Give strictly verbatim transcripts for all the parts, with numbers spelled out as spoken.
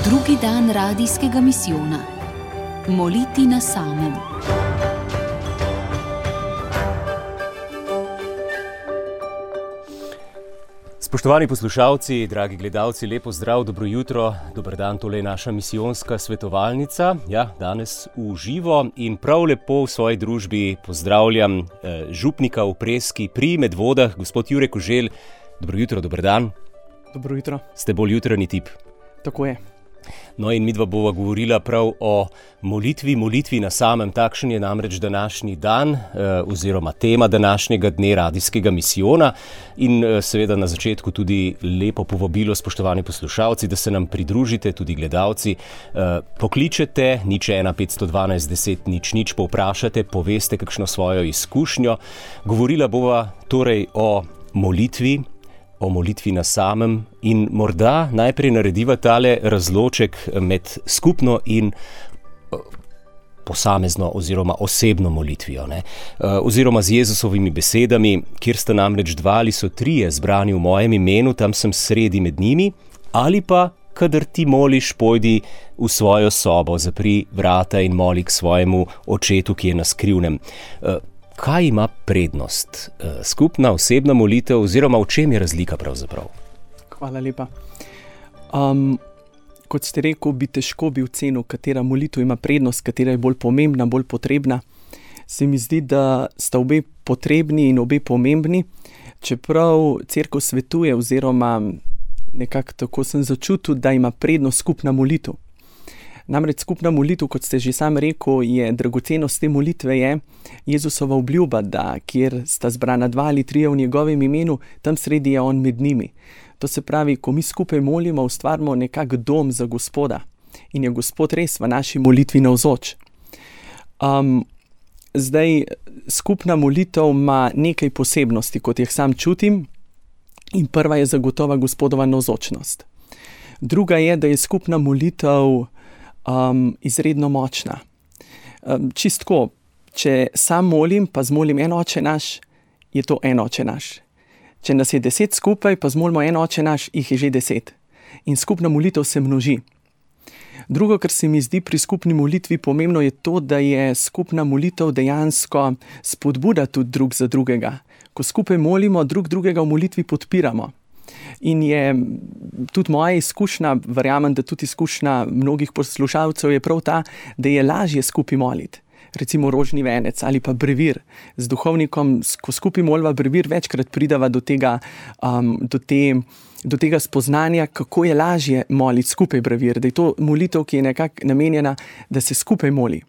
Drugi dan radijskega misijona. Moliti na samem. Spoštovani poslušalci, dragi gledalci, lepo zdrav, dobro jutro, dober dan, tole je naša misijonska svetovalnica. Ja, danes v živo in prav lepo v svoji družbi pozdravljam eh, župnika v Preski pri Medvodah, gospod Jure Koželj. Dobro jutro, dober dan. Dobro jutro. Ste bolj jutranji tip? Tako je. No in midva bova govorila prav o molitvi, molitvi na samem. Takšen je namreč današnji dan eh, oziroma tema današnjega dne radijskega misijona in eh, seveda na začetku tudi lepo povabilo, spoštovani poslušalci, da se nam pridružite, tudi gledalci. Eh, pokličete nič ena petsto dvanajst deset nič nič, povprašate, poveste kakšno svojo izkušnjo. Govorila bova torej o molitvi, o molitvi na samem in morda najprej narediva tale razloček med skupno in posamezno oziroma osebno molitvijo, ne? Oziroma z Jezusovimi besedami, kjer sta namreč dva ali so trije zbrani v mojem imenu, tam sem sredi med njimi, ali pa kadar ti moliš, pojdi v svojo sobo, zapri vrata in moli k svojemu očetu, ki je na skrivnem. Kaj ima prednost? Skupna osebna molitev oziroma v čem je razlika pravzaprav? Hvala lepa. Um, kot ste rekel, bi težko bi ocenil, katera molitev ima prednost, katera je bolj pomembna, bolj potrebna. Se mi zdi, da sta obe potrebni in obe pomembni, čeprav cerkev svetuje oziroma nekako tako sem začutil, da ima prednost skupna molitev. Namreč skupna molitev, kot ste že sam rekel, je dragocenost te molitve je Jezusova obljuba, da kjer sta zbrana dva ali trije v njegovem imenu, tam sredi je on med njimi. To se pravi, ko mi skupaj molimo, ustvarimo nekak dom za Gospoda in je Gospod res v naši molitvi navzoč. Um, zdaj, skupna molitev ima nekaj posebnosti, kot jih sam čutim, in prva je zagotova Gospodova navzočnost. Druga je, da je skupna molitev Um, izredno močna. Um, čistko, če sam molim, pa zmolim en oče naš, je to en oče naš. Če nas je deset skupaj, pa zmolimo en oče naš, jih je že deset. In skupna molitev se množi. Drugo, kar se mi zdi pri skupni molitvi pomembno, je to, da je skupna molitev dejansko spodbuda tudi drug za drugega. Ko skupaj molimo, drug drugega v molitvi podpiramo. In je tudi moja izkušnja, verjamem, da tudi izkušnja mnogih poslušalcev je prav ta, da je lažje skupaj moliti. Recimo rožni venec ali pa brevir. Z duhovnikom, ko skupaj molva brevir, večkrat pridava do tega, um, do, te, do tega spoznanja, kako je lažje moliti skupaj brevir. Da je to molitev, ki je nekako namenjena, da se skupaj moli.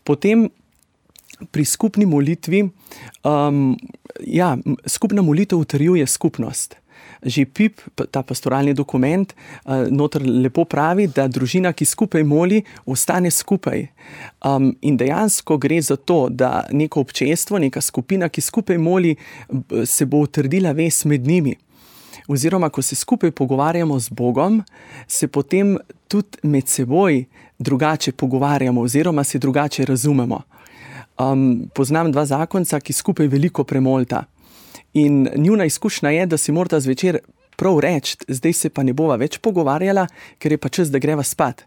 Potem pri skupni molitvi, um, ja, skupna molitev utrjuje skupnost. Že P I P, ta pastoralni dokument, noter lepo pravi, da družina, ki skupaj moli, ostane skupaj. Um, in dejansko gre za to, da neko občestvo, neka skupina, ki skupaj moli, se bo utrdila vez med njimi. Oziroma, ko se skupaj pogovarjamo z Bogom, se potem tudi med seboj drugače pogovarjamo oziroma se drugače razumemo. Um, poznam dva zakonca, ki skupaj veliko premolita. In njuna izkušnja je, da si morata zvečer prav reči, zdaj se pa ne bova več pogovarjala, ker je pa čas, da greva spat.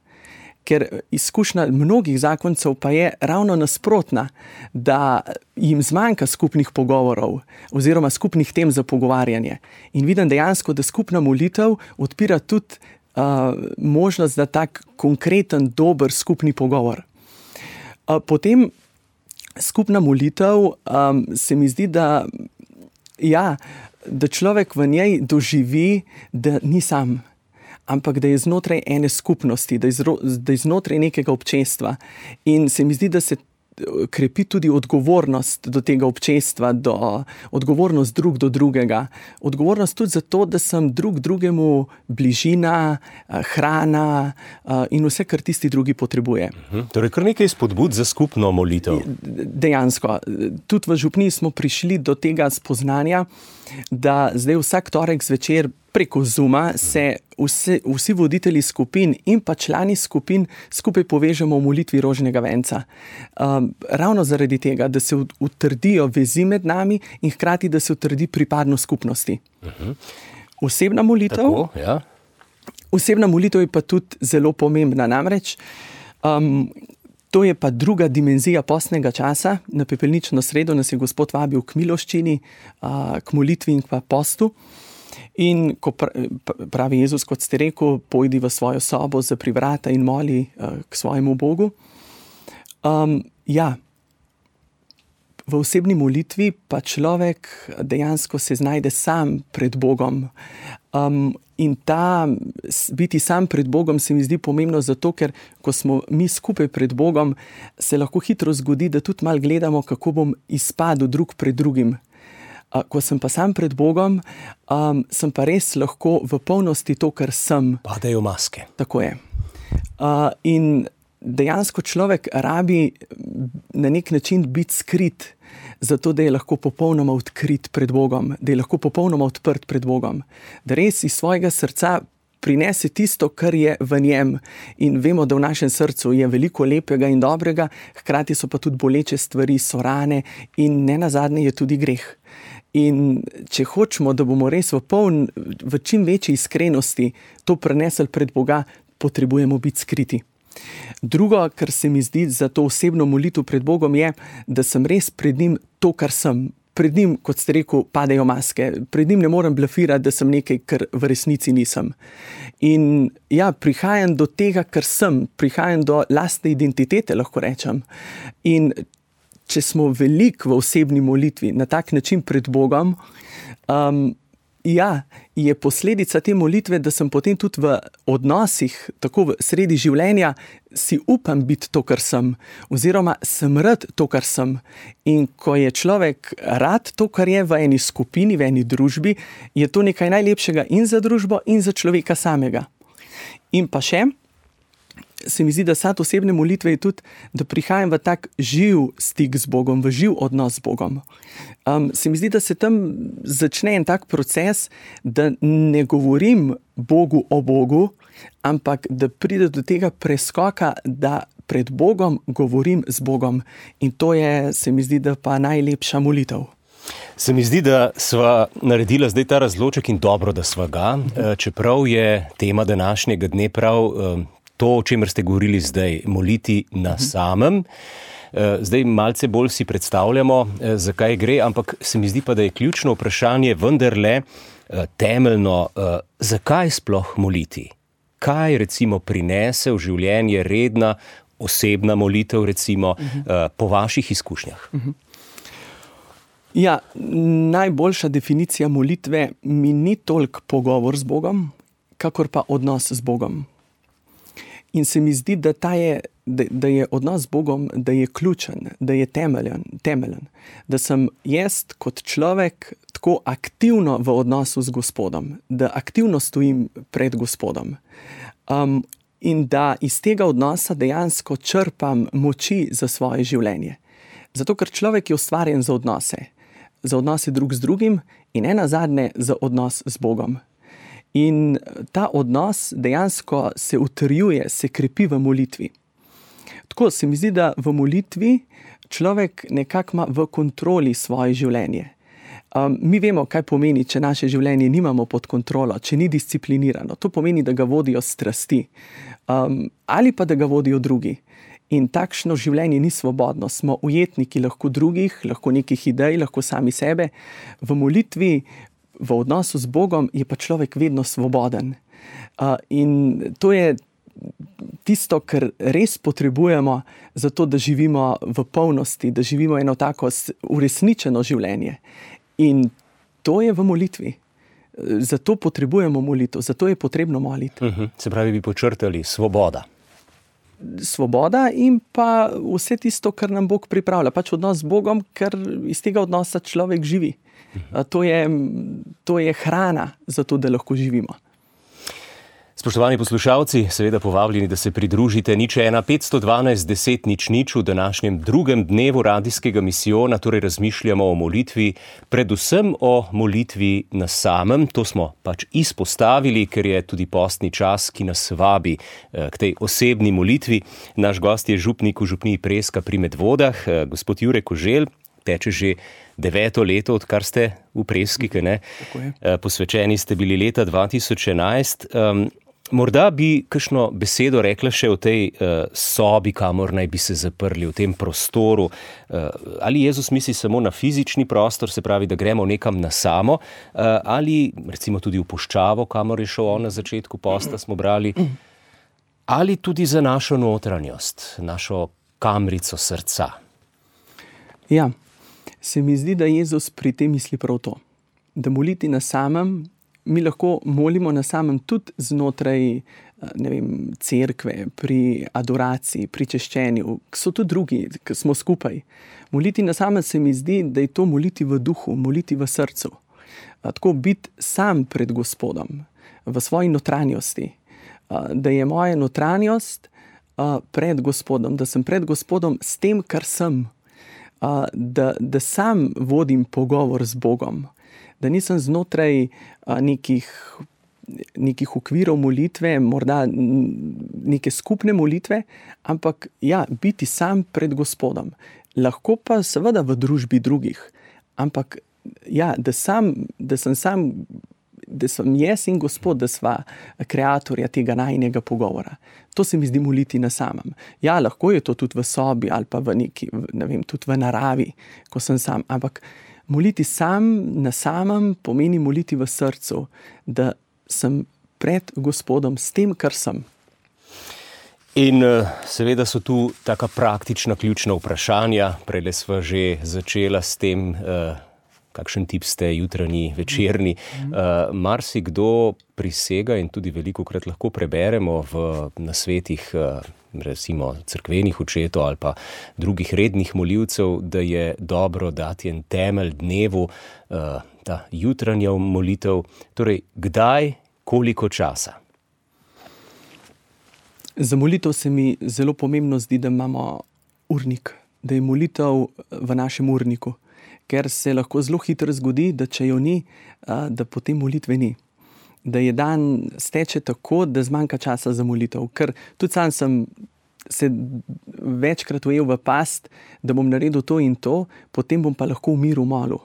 Ker izkušnja mnogih zakoncev pa je ravno nasprotna, da jim zmanjka skupnih pogovorov oziroma skupnih tem za pogovarjanje. In vidim dejansko, da skupna molitev odpira tudi uh, možnost za tak konkreten, dober skupni pogovor. Uh, potem skupna molitev um, se mi zdi, da Ja, da človek v njej doživi, da ni sam, ampak da je znotraj ene skupnosti, da je, zro, da je znotraj nekega občestva. In se mi zdi, da se krepi tudi odgovornost do tega občestva, do, odgovornost drug do drugega. Odgovornost tudi za to, da sem drug drugemu bližina, hrana in vse, kar tisti drugi potrebuje. Mhm. Torej, kar nekaj spodbud za skupno molitev. Dejansko. Tudi v župniji smo prišli do tega spoznanja, da zdaj vsak torek zvečer preko Zooma se vsi, vsi voditelji skupin in pa člani skupin skupaj povežemo v molitvi rožnega venca. Um, ravno zaradi tega, da se utrdijo vezi med nami in hkrati, da se utrdi pripadnost skupnosti. Uh-huh. Osebna molitev, Tako, ja. osebna molitev je pa tudi zelo pomembna, namreč um, to je pa druga dimenzija postnega časa. Na pepelnično sredo nas je Gospod vabil k miloščini, uh, k molitvi in pa postu. In ko pravi Jezus, kot ste rekel, pojdi v svojo sobo, zapri vrata in moli uh, k svojemu Bogu. Um, ja, v osebni molitvi pa človek dejansko se znajde sam pred Bogom. Um, in ta biti sam pred Bogom se mi zdi pomembno zato, ker ko smo mi skupaj pred Bogom, se lahko hitro zgodi, da tudi malo gledamo, kako bom izpadel drug pred drugim. Uh, ko sem pa sam pred Bogom, um, sem pa res lahko v polnosti to, kar sem. Padejo maske. Tako je. Uh, in dejansko človek rabi na nek način biti skrit, zato da je lahko popolnoma odkrit pred Bogom, da je lahko popolnoma odprt pred Bogom, da res iz svojega srca prinese tisto, kar je v njem. In vemo, da v našem srcu je veliko lepega in dobrega, hkrati so pa tudi boleče stvari, so rane in nenazadnje je tudi greh. In če hočemo, da bomo res v poln, v čim večji iskrenosti to prenesli pred Boga, potrebujemo biti skriti. Drugo, kar se mi zdi za to osebno molitev pred Bogom, je, da sem res pred njim to, kar sem. Pred njim, kot ste rekel, padejo maske. Pred njim ne morem blefirati, da sem nekaj, kar v resnici nisem. In ja, prihajam do tega, kar sem. Prihajam do lastne identitete, lahko rečem. In če smo veliko v osebni molitvi na tak način pred Bogom, um, ja, je posledica te molitve, da sem potem tudi v odnosih, tako v sredi življenja, si upam biti to, kar sem, oziroma sem rad to, kar sem. In ko je človek rad to, kar je v eni skupini, v eni družbi, je to nekaj najlepšega in za družbo, in za človeka samega. In pa še, se mi zdi, da sad osebne molitve je tudi, da prihajam v tak živ stik z Bogom, v živ odnos z Bogom. Um, se mi zdi, da se tam začne en tak proces, da ne govorim Bogu o Bogu, ampak da pride do tega preskoka, da pred Bogom govorim z Bogom. In to je, se mi zdi, da pa najlepša molitev. Se mi zdi, da sva naredila zdaj ta razloček in dobro, da sva ga, čeprav je tema današnjega dne prav to, o čemer ste govorili zdaj, moliti na samem. Zdaj malce bolj si predstavljamo, zakaj gre, ampak se mi zdi pa, da je ključno vprašanje vendarle temeljno, zakaj sploh moliti? Kaj recimo prinese v življenje redna, osebna molitev, recimo, po vaših izkušnjah? Ja, najboljša definicija molitve mi ni toliko pogovor z Bogom, kakor pa odnos z Bogom. In se mi zdi, da, ta je, da, da je odnos z Bogom, da je ključen, da je temeljen, temeljen. Da sem jaz kot človek tako aktivno v odnosu z Gospodom, da aktivno stojim pred Gospodom. Um, in da iz tega odnosa dejansko črpam moči za svoje življenje. Zato, ker človek je ustvarjen za odnose. Za odnose drug z drugim in nenazadnje za odnos z Bogom. In ta odnos dejansko se utrjuje, se krepi v molitvi. Tako se mi zdi, da v molitvi človek nekako ima v kontroli svoje življenje. Um, mi vemo, kaj pomeni, če naše življenje nimamo pod kontrolo, če ni disciplinirano. To pomeni, da ga vodijo strasti. Um, ali pa da ga vodijo drugi. In takšno življenje ni svobodno. Smo ujetniki lahko drugih, lahko nekih idej, lahko sami sebe. V molitvi, v odnosu z Bogom je pa človek vedno svoboden. Uh, in to je tisto, kar res potrebujemo za to, da živimo v polnosti, da živimo eno tako uresničeno življenje. In to je v molitvi. Zato potrebujemo molitev, zato je potrebno moliti. Uh-huh. Se pravi, bi počrtali svoboda. Svoboda in pa vse tisto, kar nam Bog pripravlja. Pač odnos z Bogom, ker iz tega odnosa človek živi. To je, to je hrana za to, da lahko živimo. Spoštovani poslušalci, seveda povabljeni, da se pridružite nič ena petsto dvanajst deset nič nič v današnjem drugem dnevu radijskega misijona, torej razmišljamo o molitvi, predvsem o molitvi na samem. To smo pač izpostavili, ker je tudi postni čas, ki nas vabi k tej osebni molitvi. Naš gost je župnik v župniji Preska pri Medvodah, gospod Jure Koželj. Teče že deveto leto, odkar ste v Preski, ne? Posvečeni ste bili leta dva tisoč enajst. Um, Morda bi kakšno besedo rekla še o tej uh, sobi, kamor naj bi se zaprli, v tem prostoru. Uh, ali Jezus misli samo na fizični prostor, se pravi, da gremo nekam na samo, uh, ali recimo tudi v puščavo, kamor je šel on na začetku posta, smo brali, ali tudi za našo notranjost, našo kamrico srca. Ja, se mi zdi, da Jezus pri tem misli prav to. Da moliti na samem, mi lahko molimo na samem tudi znotraj, ne vem, cerkve, pri adoraciji, pri češčenju, so tudi drugi, ki smo skupaj. Moliti na samem se mi zdi, da je to moliti v duhu, moliti v srcu. Tako biti sam pred Gospodom, v svoji notranjosti. Da je moja notranjost pred Gospodom, da sem pred Gospodom s tem, kar sem. Da, da sam vodim pogovor z Bogom. Da nisem znotraj a, nekih, nekih okvirov molitve, morda neke skupne molitve, ampak ja, biti sam pred Gospodom. Lahko pa seveda v družbi drugih, ampak ja, da, sam, da sem sam, da sem jaz in Gospod, da sva kreatorja tega najinega pogovora. To se mi zdi moliti na samem. Ja, lahko je to tudi v sobi ali pa v neki, ne vem, tudi v naravi, ko sem sam, ampak moliti sam na samem pomeni moliti v srcu, da sem pred Gospodom s tem, kar sem. In seveda so tu taka praktična ključna vprašanja. Prejle sva že začela s tem, kakšen tip ste, jutranji, večerni. Uh, marsikdo prisega in tudi velikokrat lahko preberemo v nasvetih uh, recimo cerkvenih očetov ali pa drugih rednih molivcev, da je dobro dati en temelj dnevu, uh, ta jutranja molitev. Torej, kdaj, koliko časa? Za molitev se mi zelo pomembno zdi, da imamo urnik, da je molitev v našem urniku. Ker se lahko zelo hitro zgodi, da če jo ni, da potem molitve ni. Da je dan steče tako, da zmanjka časa za molitev. Ker tudi sam sem se večkrat ujel v past, da bom naredil to in to, potem bom pa lahko v miru molil.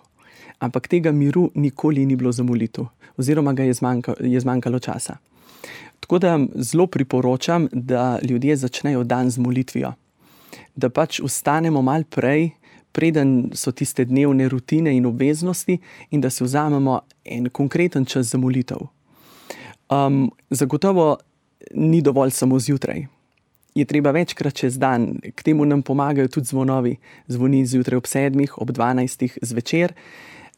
Ampak tega miru nikoli ni bilo za molitev. Oziroma ga je, zmanjka, je zmanjkalo časa. Tako da zelo priporočam, da ljudje začnejo dan z molitvijo. Da pač vstanemo malo prej, preden so tiste dnevne rutine in obveznosti in da se vzamemo en konkreten čas za molitev. Um, zagotovo ni dovolj samo zjutraj. Je treba večkrat čez dan, k temu nam pomagajo tudi zvonovi. Zvoni zjutraj ob sedmih, ob dvanajstih zvečer.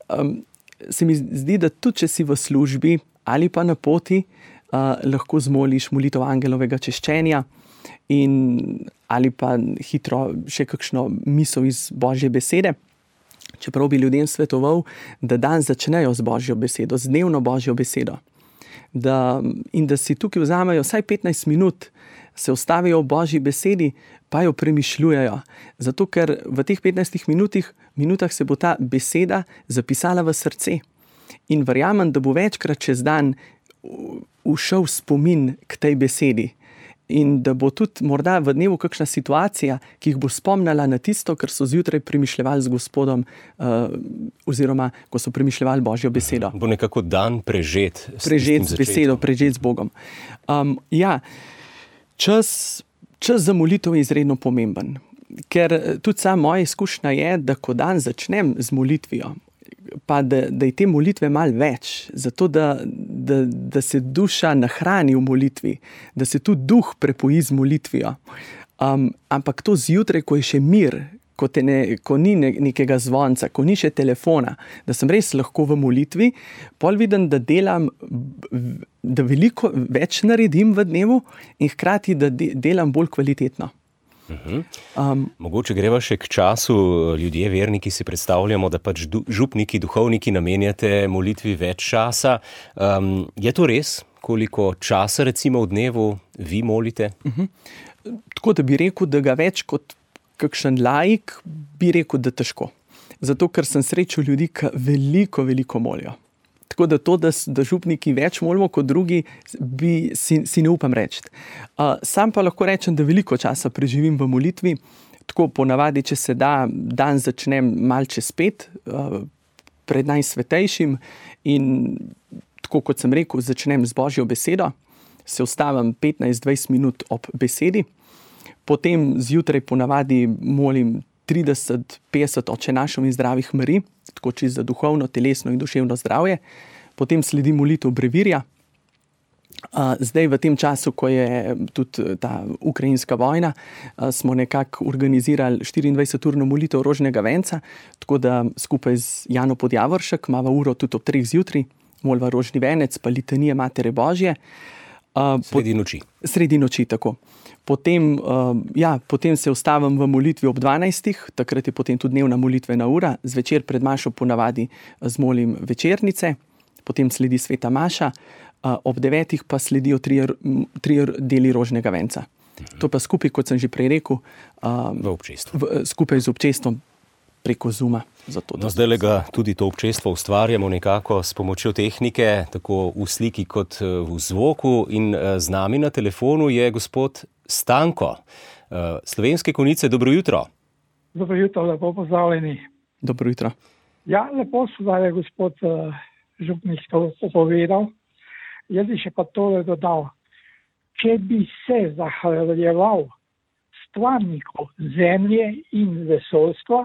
Um, se mi zdi, da tudi če si v službi ali pa na poti, uh, lahko zmoliš molitev angelovega češčenja in ali pa hitro še kakšno misel iz Božje besede. Čeprav bi ljudem svetoval, da dan začnejo z Božjo besedo, z dnevno Božjo besedo. Da, in da si tukaj vzamejo vsaj petnajst minut, se ustavijo v Božji besedi, pa jo premišljujejo. Zato, ker v teh petnajstih minutih, minutah se bo ta beseda zapisala v srce. In verjamem, da bo večkrat čez dan ušel spomin k tej besedi. In da bo tudi morda v dnevu kakšna situacija, ki jih bo spomnila na tisto, kar so zjutraj premišljevali z Gospodom, uh, oziroma ko so premišljevali Božjo besedo. Bo nekako dan prežet. Prežet z besedo, prežet z Bogom. Um, ja, čas, čas za molitev je izredno pomemben. Ker tudi sama moja izkušnja je, da ko dan začnem z molitvijo, pa da, da je te molitve malo več, zato da, da, da se duša nahrani v molitvi, da se tudi duh prepoji z molitvijo. Um, ampak to zjutraj, ko je še mir, ko, te ne, ko ni ne, nekega zvonca, ko ni še telefona, da sem res lahko v molitvi, pol vidim, da delam, da veliko več naredim v dnevu in hkrati, da de, delam bolj kvalitetno. Uhum. Um, Mogoče greva še k času, ljudje, verniki si predstavljamo, da pač du, župniki, duhovniki namenjate molitvi več časa. Um, je to res, koliko časa recimo v dnevu vi molite? Uhum. Tako da bi rekel, da ga več kot kakšen laik, bi rekel, da težko. Zato, ker sem srečal ljudi, ki veliko, veliko molijo. Tako da to, da, da župniki več molimo kot drugi, bi, si, si ne upam reči. Uh, sam pa lahko rečem, da veliko časa preživim v molitvi. Tako ponavadi, če se da, dan začnem mal čez pet, uh, pred najsvetejšim in tako kot sem rekel, začnem z Božjo besedo. se ustavim petnajst do dvajset minut ob besedi, potem zjutraj ponavadi molim trideset do petdeset Oče našov in zdravih Marij, tako čisto za duhovno, telesno in duševno zdravje. Potem sledi molitev brevirja. Uh, zdaj v tem času, ko je tudi ta ukrajinska vojna, uh, smo nekako organizirali štiriindvajseturno molitev rožnega venca, tako da skupaj z Jano Podjavoršek imava uro tudi ob treh zjutraj, molva rožni venec, pa litanije Matere Božje. Uh, sredi noči. Sredi noči, tako. Potem, uh, ja, potem se ustavim v molitvi ob dvanajstih, takrat je potem tudi dnevna molitvena ura, zvečer pred mašo ponavadi zmolim večernice, potem sledi sveta maša, uh, ob devetih pa sledijo trije, trije deli rožnega venca. Mhm. To pa skupaj, kot sem že prej rekel, uh, v občestvu. V, skupaj z občestvom preko Zooma. Zato, no, zdaj ga tudi to občestvo ustvarjamo nekako s pomočjo tehnike, tako v sliki kot v zvoku, in z nami na telefonu je gospod Stanko. Slovenske Konjice, dobro jutro. Dobro jutro, lepo pozdravljeni. Dobro jutro. Ja, lepo so da je gospod uh, župnik to opovedal. Jaz bi še pa tole dodal. Če bi se zahvaljeval stvarniku zemlje in vesoljstva,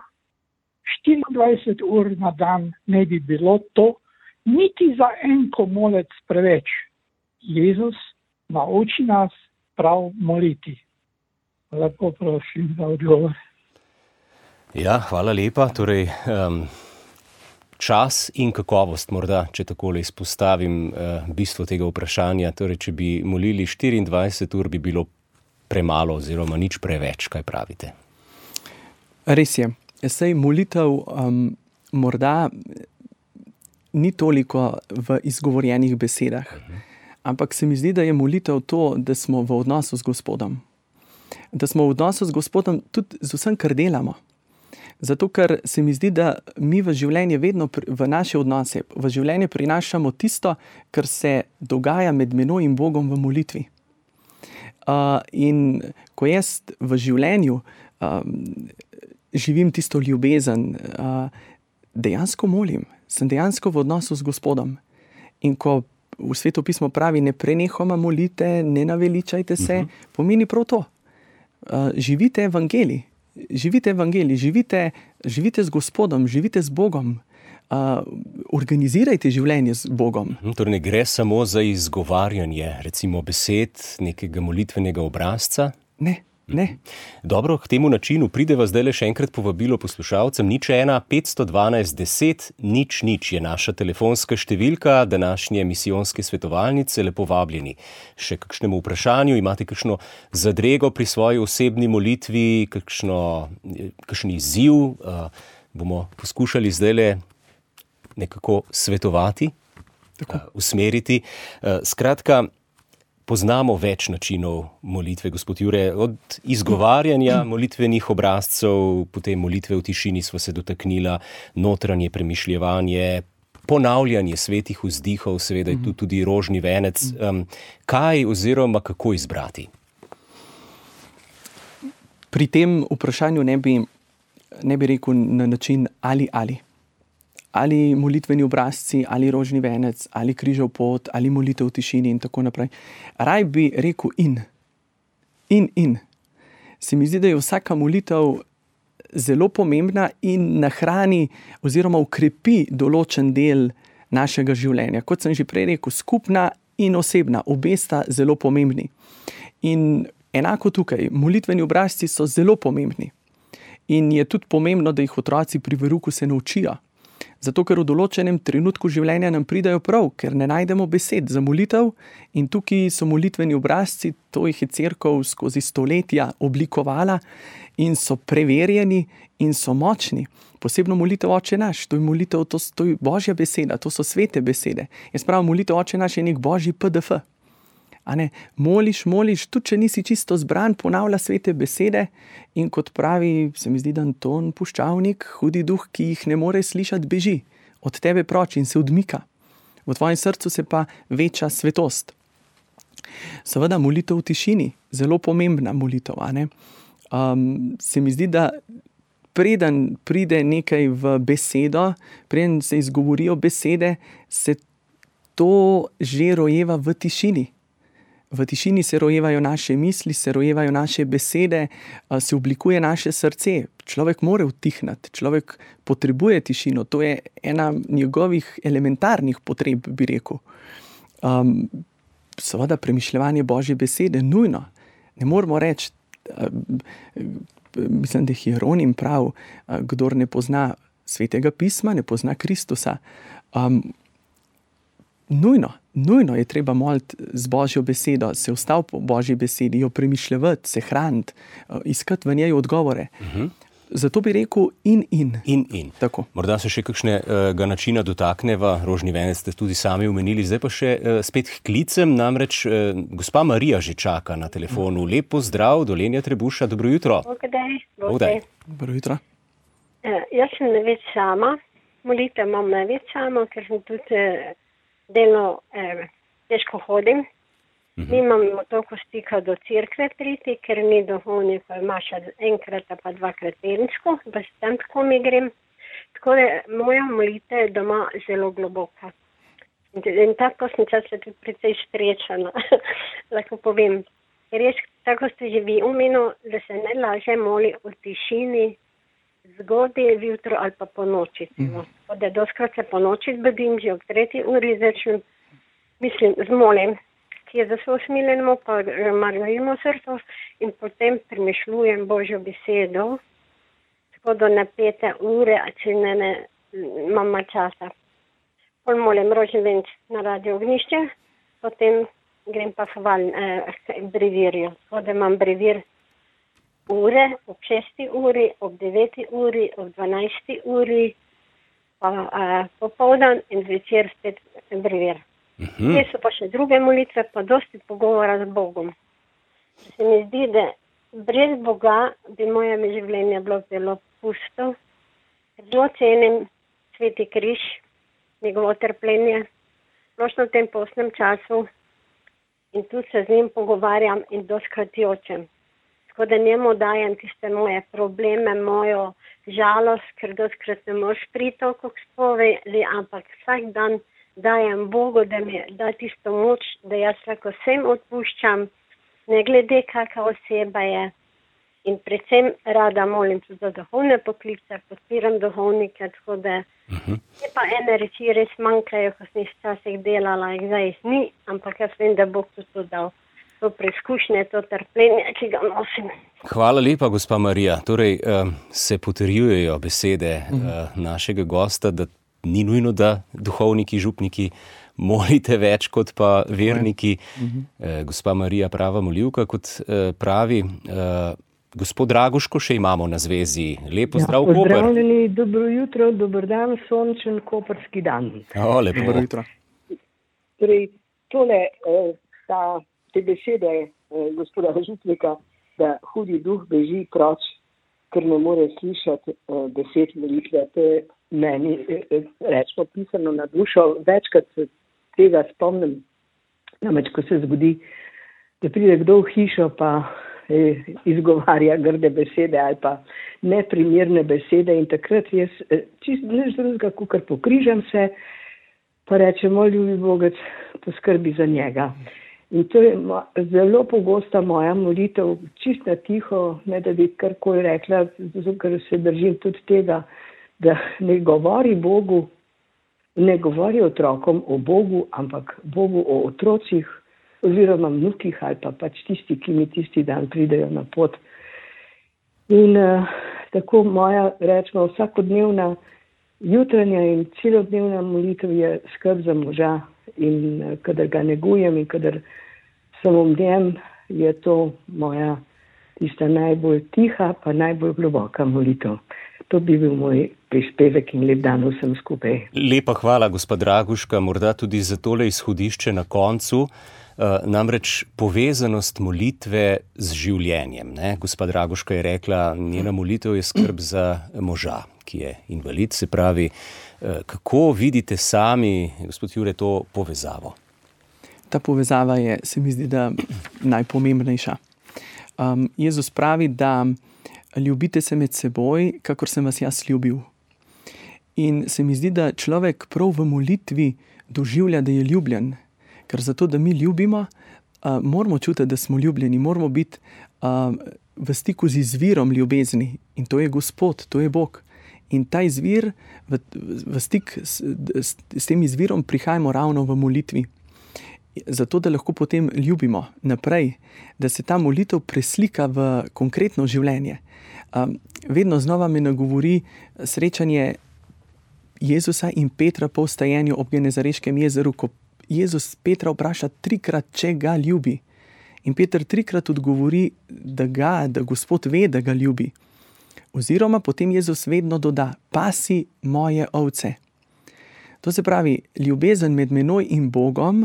štiriindvajset ur na dan ne bi bilo to niti za en komolec preveč. Jezus nauči nas prav moliti. Lepo prosim za odgovor. Ja, hvala lepa. Torej, um, čas in kakovost, morda, če takole izpostavim uh, bistvo tega vprašanja. Torej, če bi molili štiriindvajset ur, bi bilo premalo oziroma nič preveč, kaj pravite? Res je. Sej molitev um, morda ni toliko v izgovorjenih besedah, uh-huh. ampak se mi zdi, da je molitev to, da smo v odnosu z Gospodom. Da smo v odnosu z Gospodom tudi z vsem, kar delamo. Zato, ker se mi zdi, da mi v življenje vedno, v naše odnose, v življenje prinašamo tisto, kar se dogaja med menoj in Bogom v molitvi. Uh, in ko jaz v življenju um, živim tisto ljubezen, uh, dejansko molim, sem dejansko v odnosu z Gospodom. In ko v Sveto pismo pravi, ne prenehoma molite, ne naveličajte se, uh-huh. pomeni prav to. Uh, živite evangelij, živite evangelij, živite, živite z Gospodom, živite z Bogom. Uh, organizirajte življenje z Bogom. Uh-huh. Torej ne gre samo za izgovarjanje, recimo besed, nekega molitvenega obrazca? Ne. Ne. Dobro, k temu načinu prideva zdaj le še enkrat povabilo poslušalcem. Nič ena, petsto dvanajst, deset, nič, nič je naša telefonska številka današnje misijonske svetovalnice. Lepo vabljeni. Še kakšnemu vprašanju, imate kakšno zadrego pri svoji osebni molitvi, kakšno, kakšen izziv, uh, bomo poskušali zdaj le nekako svetovati, uh, usmeriti. Uh, skratka, poznamo več načinov molitve, gospod Jure, od izgovarjanja molitvenih obrazcev, potem molitve v tišini smo se dotaknila, notranje premišljevanje, ponavljanje svetih vzdihov, seveda je tu tudi rožni venec. Um, kaj oziroma kako izbrati? Pri tem vprašanju ne bi, ne bi rekel na način ali ali. Ali molitveni obrazci, ali rožni venec, ali križev pot, ali molitev v tišini in tako naprej. Raj bi rekel in. In, in. Se mi zdi, da je vsaka molitev zelo pomembna in nahrani oziroma ukrepi določen del našega življenja. Kot sem že prej rekel, skupna in osebna, obe sta zelo pomembni. In enako tukaj, molitveni obrazci so zelo pomembni. In je tudi pomembno, da jih otroci pri veruku se naučijo. Zato, ker v določenem trenutku življenja nam pridajo prav, ker ne najdemo besed za molitev in tukaj so molitveni obrazci, to jih je cerkev skozi stoletja oblikovala in so preverjeni in so močni. Posebno molitev Oče naš, to je molitev, to, to je Božja beseda, to so svete besede. Jaz pravim, molitev Oče naš je nek Božji P D F. A ne, moliš, moliš, tudi če nisi čisto zbran, ponavlja svete besede in kot pravi, se mi zdi, da Anton Puščavnik, hudi duh, ki jih ne more slišati, beži od tebe proč in se odmika. V tvojem srcu se pa veča svetost. Seveda molitev v tišini, zelo pomembna molitev, a ne. Um, se mi zdi, da preden pride nekaj v besedo, preden se izgovorijo besede, se to že rojeva v tišini. V tišini se rojevajo naše misli, se rojevajo naše besede, se oblikuje naše srce. Človek mora utihnati, človek potrebuje tišino. To je ena njegovih elementarnih potreb, bi rekel. Um, seveda premišljevanje Božje besede nujno. Ne moramo reči, mislim, da je Hieronim prav, kdor ne pozna Svetega pisma, ne pozna Kristusa. Um, nujno, nujno je treba moliti z Božjo besedo, se ustaviti po Božji besedi, jo premišljevati, se hraniti, iskati v njej odgovore. Uh-huh. Zato bi rekel in in. In in. Tako. Morda se še kakšnega načina dotakneva, rožni venec ste tudi sami omenili, zdaj pa še uh, spet k klicem, namreč uh, gospa Marija že čaka na telefonu. Lep pozdrav, Dolenja Trebuša, dobro jutro. Bogdaj, Bogdaj. Dobro jutro. Uh, jaz sem največ sama, molitev imam največ sama, ker sem tudi uh, delno uh, težko hodim. Nimamo toliko stika do cerkve priti, ker ni duhovnika, imaš enkrat pa dvakrat tedensko, pa se tam tako mi grem. Tako da moja molitev je doma zelo globoka. In, in tako sem čas tudi precej srečana, lahko povem. Res, tako ste že vi omenili, da se ne laže moli v tišini, zgodaj, jutro ali pa po noči. Mm. Tako da doskrat se po noči zbudim, že ob tretji uri začnem, mislim, zmolim. Je za svoj smiljenmo, pa margarimo srco in potem premišljujem Božjo besedo, tako do napete ure, a če ne, ne imam časa. Pol molim rožni venc na Radio Ognjišče, potem grem pa hval eh, brevirju. Tako da imam brevir ure, ob šesti uri, ob deveti uri, ob dvanajsti uri, pa eh, popoldan in zvečer spet brevir. Uhum. Te so pa še druge molitve, pa dosti pogovora z Bogom. Se mi zdi, da brez Boga bi moje življenje bilo zelo pusto. Zelo cenim Sveti križ, njegovo trpljenje, splošno v tem postnem času in tu se z njim pogovarjam in doskrat jočem. Tako da njemu dajem tiste moje probleme, mojo žalost, ker doskrat ne moš priti toliko k spovedi, ampak vsak dan dajem Bogu, da mi da tisto moč, da jaz lahko vsem odpuščam, ne glede kakva oseba je. In predvsem rada molim tudi za duhovne poklice, podpiram duhovnike, tako da uh-huh. je pa ene reči res manjkajo, ko sem jih včasih delala, jih zdaj ni, ampak jaz vem, da Bog tudi to dal. To preizkušnje, to trpljenje, ki ga nosim. Hvala lepa, gospa Marija. Torej, uh, se potrjujejo besede uh, našega gosta, da ni nujno, da duhovniki, župniki molite več kot pa verniki. Uh-huh. Eh, gospa Marija, prava molivka, kot eh, pravi. Eh, gospod Draguško še imamo na zvezi. Lepo ja, zdrav, Koper. Pozdravljeni, dobro jutro, dober dan, sončen koperski dan. O, lepo. Dobro jutro. Torej, tole, eh, ta, te besede eh, gospoda župnika, da hudi duh beži proč, ker ne more slišati eh, besed molitve, to je meni, rečemo, pisano na dušo. Večkrat se tega spomnim, namreč, ko se zgodi, da pride kdo v hišo pa eh, izgovarja grde besede ali pa neprimerne besede in takrat jaz eh, čisto nič drugega, kakor pokrižam se, pa rečemo, ljubi Bogec, poskrbi za njega. In to je mo- zelo pogosta moja molitev, čisto na tiho, ne da bi karkoli rekla, zato ker se držim tudi tega, da ne govori Bogu, ne govori otrokom o Bogu, ampak Bogu o otrocih oziroma vnukih ali pa pač tisti, ki mi tisti dan pridejo na pot. In uh, tako moja, rečemo, vsakodnevna jutranja in celodnevna molitev je skrb za moža in uh, kadar ga negujem in kadar sem v njem, je to moja tista najbolj tiha pa najbolj globoka molitev. To bi bil moj prispevek in lep dan vsem skupaj. Lepa hvala, gospod Draguška, morda tudi za tole izhodišče na koncu. Uh, namreč povezanost molitve z življenjem. Ne? Gospa Draguška je rekla, njena molitev je skrb za moža, ki je invalid, se pravi. Uh, kako vidite sami, gospod Jure, to povezavo? Ta povezava je, se mi zdi, da najpomembnejša. Um, Jezus pravi, da ljubite se med seboj, kakor sem vas jaz ljubil. In se mi zdi, da človek prav v molitvi doživlja, da je ljubljen. Ker zato, da mi ljubimo, uh, moramo čutiti, da smo ljubljeni, moramo biti uh, v stiku z izvirom ljubezni in to je Gospod, to je Bog. In ta izvir, v, v stik s, s, s tem izvirom prihajamo ravno v molitvi. Zato, da lahko potem ljubimo naprej, da se ta molitev preslika v konkretno življenje. Um, vedno znova me nagovori srečanje Jezusa in Petra po vstajenju ob Genezareškem jezeru, ko Jezus Petra vpraša trikrat, če ga ljubi. In Peter trikrat odgovori, da ga, da Gospod ve, da ga ljubi. Oziroma potem Jezus vedno doda, pasi moje ovce. To se pravi, ljubezen med menoj in Bogom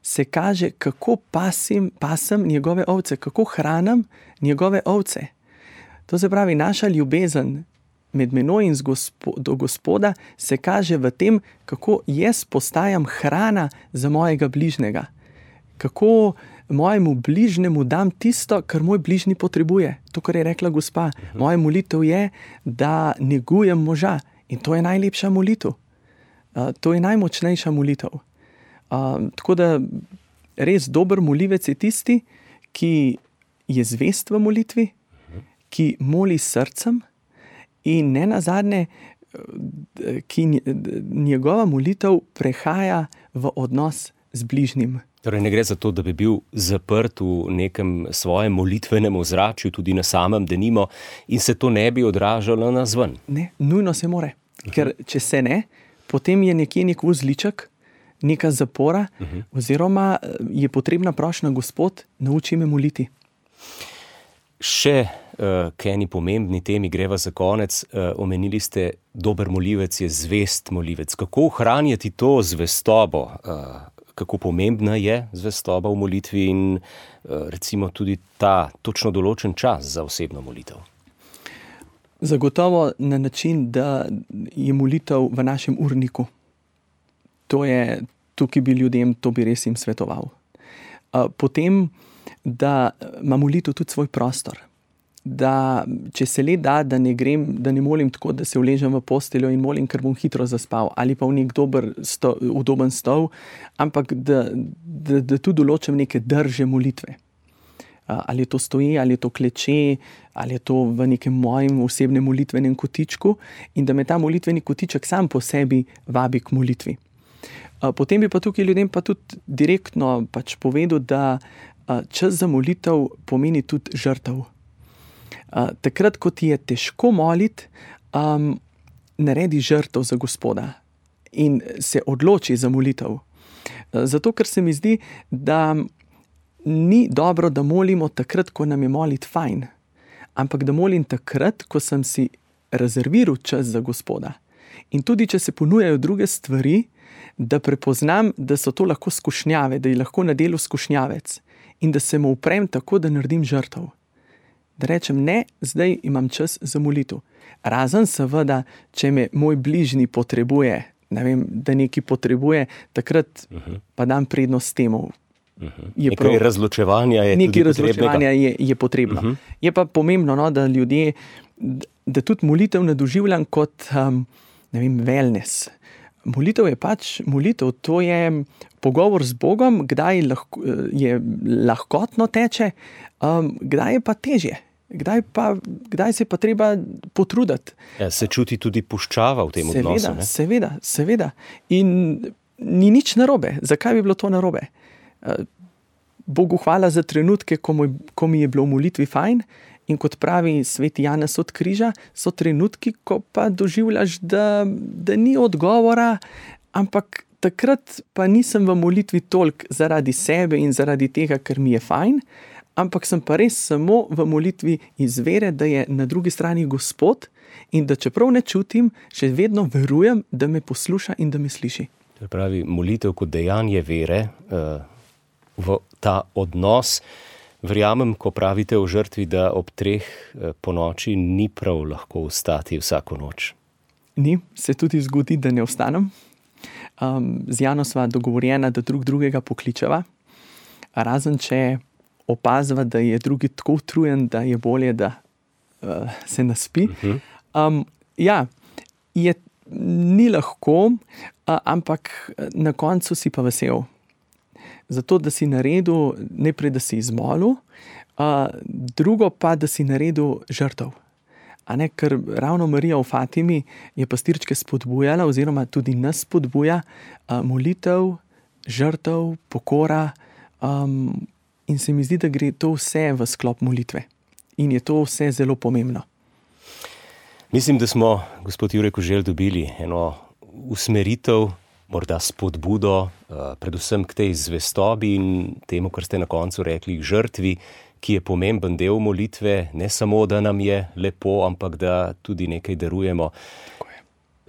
se kaže, kako pasim, pasem njegove ovce, kako hranim njegove ovce. To se pravi, naša ljubezen med menoj in gospo, do Gospoda se kaže v tem, kako jaz postajam hrana za mojega bližnjega. Kako mojemu bližnjemu dam tisto, kar moj bližnji potrebuje. To, kar je rekla gospa. Moja molitev je, da negujem moža. In to je najlepša molitev. Uh, to je najmočnejša molitev. Uh, tako da res dober molivec je tisti, ki je zvest v molitvi, ki moli s srcem in ne nazadnje, ki njegova molitev prehaja v odnos z bližnjim. Torej ne gre za to, da bi bil zaprt v nekem svojem molitvenem ozračju, tudi na samem denimo, in se to ne bi odražalo nazven. Ne, nujno se more. Ker če se ne, potem je nekje nek vzliček, neka zapora, uh-huh. oziroma je potrebna prošnja, Gospod, nauči me moliti. Še uh, k eni pomembni temi greva za konec. Uh, omenili ste, dober molivec je zvest molivec. Kako ohranjati to zvestobo? Uh, kako pomembna je zvestoba v molitvi in uh, recimo tudi ta točno določen čas za osebno molitev? Zagotovo na način, da je molitev v našem urniku. To je, tukaj bi ljudem, to bi res jim svetoval. Uh, potem, da ima molitev tudi svoj prostor. Da, če se le da, da ne grem, da ne molim tako, da se uležem v posteljo in molim, ker bom hitro zaspal, ali pa v nek dober, sto, udoben stol, ampak da, da, da tu določim neke drže molitve. Ali je to stoji, ali je to kleče, ali je to v nekem mojem osebnem molitvenem kotičku in da me ta molitveni kotiček sam po sebi vabi k molitvi. Potem bi pa tukaj ljudem pa tudi direktno pač povedal, da čas za molitev pomeni tudi žrtev. Takrat, ko ti je težko moliti, um, naredi žrtev za Gospoda in se odloči za molitev. Zato, ker se mi zdi, da ni dobro, da molimo takrat, ko nam je moliti fajn, ampak da molim takrat, ko sem si rezerviral čas za Gospoda. In tudi, če se ponujajo druge stvari, da prepoznam, da so to lahko skušnjave, da je lahko na delu skušnjavec in da se mu uprem tako, da naredim žrtev. Da rečem, ne, zdaj imam čas za molitev. Razen seveda, če me moj bližnji potrebuje, ne vem, da nekaj potrebuje, takrat uh-huh. pa dam prednost temu. Uh-huh. Nekaj razločevanja je nekaj razločevanja je, je potrebno. Uh-huh. Je pa pomembno, no, da ljudje, da tudi molitev ne doživljam kot, um, ne vem, wellness. Molitev je pač molitev, to je pogovor z Bogom, kdaj lahko, je lahkotno teče, um, kdaj je pa težje, kdaj, pa, kdaj se pa treba potruditi. Ja, se čuti tudi puščava v tem seveda, odnosu. Ne? Seveda, seveda. In ni nič narobe. Zakaj bi bilo to narobe? Bogu hvala za trenutke, ko, moj, ko mi je bilo v molitvi fajn, in kot pravi sveti Janez od križa, so trenutki, ko pa doživljaš, da, da ni odgovora, ampak takrat pa nisem v molitvi toliko zaradi sebe in zaradi tega, ker mi je fajn, ampak sem pa res samo v molitvi iz vere, da je na drugi strani Gospod in da čeprav ne čutim, še vedno verujem, da me posluša in da me sliši. To pravi, molitev kot dejanje vere uh, v ta odnos. Verjamem, ko pravite o žrtvi, da ob treh po noči ni prav lahko vstati vsako noč. Ni, se tudi zgodi, da ne vstanem. Um, z Jano sva dogovorjena, da drug drugega pokličeva. Razen, če opazva, da je drugi tako utrujen, da je bolje, da uh, se naspi. Uh-huh. Um, ja, je, ni lahko, uh, ampak na koncu si pa vesel. zato da si naredil, najprej da si izmolil, uh, drugo pa, da si naredil žrtev. A ne, ker ravno Marija v Fatimi je pastirčke spodbujala oziroma tudi nas spodbuja uh, molitev, žrtev, pokora um, in se mi zdi, da gre to vse v sklop molitve. In je to vse zelo pomembno. Mislim, da smo, gospod Jure Koželj, dobili eno usmeritev, morda spodbudo, uh, predvsem k tej zvestobi in temu, kar ste na koncu rekli, žrtvi, ki je pomemben del molitve, ne samo, da nam je lepo, ampak da tudi nekaj darujemo.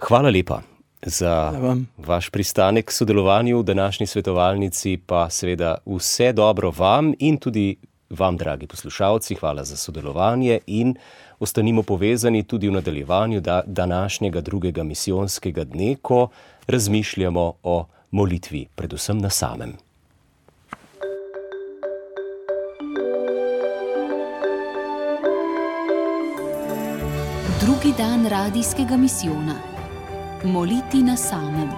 Hvala lepa za vaš pristanek k sodelovanju v današnji svetovalnici, pa seveda vse dobro vam in tudi vam, dragi poslušalci, hvala za sodelovanje in ostanimo povezani tudi v nadaljevanju današnjega drugega misijonskega dne, ko razmišljamo o molitvi, predvsem na samem. Drugi dan radijskega misijona. Moliti na samem.